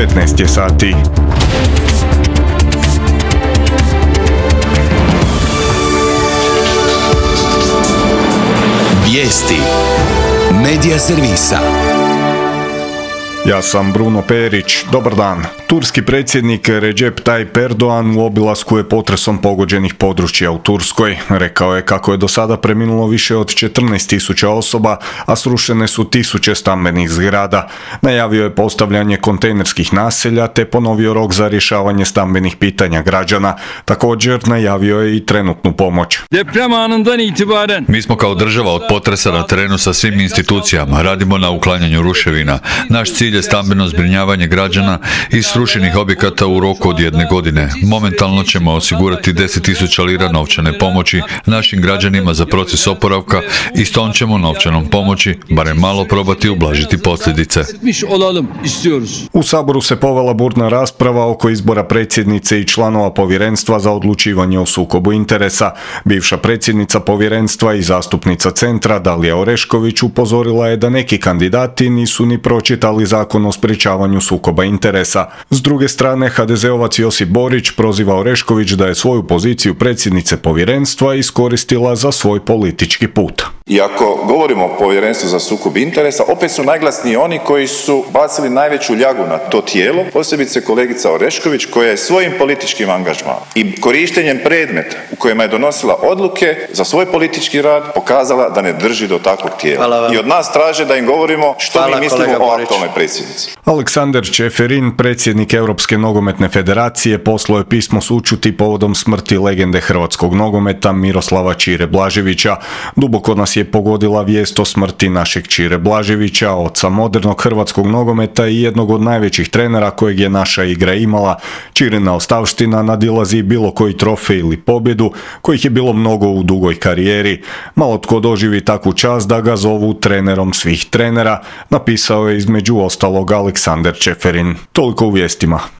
15 je sati. Vijesti Medija servisa. Ja sam Bruno Perić, dobar dan. Turski predsjednik Recep Tayyip Erdogan u obilasku je potresom pogođenih područja u Turskoj. Rekao je kako je do sada preminulo više od 14.000 osoba, a srušene su tisuće stambenih zgrada. Najavio je postavljanje kontejnerskih naselja te ponovio rok za rješavanje stambenih pitanja građana. Također najavio je i trenutnu pomoć. Mi smo kao država od potresa na terenu sa svim institucijama, radimo na uklanjanju ruševina. Naš cilj je stambeno zbrinjavanje građana i srušenih objekata u roku od 1 godine. Momentalno ćemo osigurati 10.000 lira novčane pomoći našim građanima za proces oporavka i s tom ćemo novčanom pomoći barem malo probati ublažiti posljedice. U Saboru se povela burna rasprava oko izbora predsjednice i članova povjerenstva za odlučivanje o sukobu interesa. Bivša predsjednica povjerenstva i zastupnica Centra Dalija Orešković upozorila je da neki kandidati nisu ni pročitali Zakon o sprječavanju sukoba interesa. S druge strane, HDZ-ovac Josip Borić proziva Orešković da je svoju poziciju predsjednice povjerenstva iskoristila za svoj politički put. I ako govorimo o povjerenstvu za sukob interesa, opet su najglasniji oni koji su bacili najveću ljagu na to tijelo, posebice kolegica Orešković koja je svojim političkim angažmanom i korištenjem predmeta u kojima je donosila odluke za svoj politički rad pokazala da ne drži do takvog tijela. I od nas traže da im govorimo što mi mislimo o aktualnoj predsjednici. Aleksandar Čeferin, predsjednik Europske nogometne federacije, poslao je pismo sućuti povodom smrti legende hrvatskog nogometa Miroslava Čire Blaževića. Duboko nas je pogodila vijest o smrti našeg Čire Blaževića, oca modernog hrvatskog nogometa i jednog od najvećih trenera kojeg je naša igra imala. Čirina ostavština nadilazi bilo koji trofej ili pobjedu, kojih je bilo mnogo u dugoj karijeri. Malo tko doživi takvu čast da ga zovu trenerom svih trenera, napisao je između ostalog Aleksandar Čeferin. Toliko u vijestima.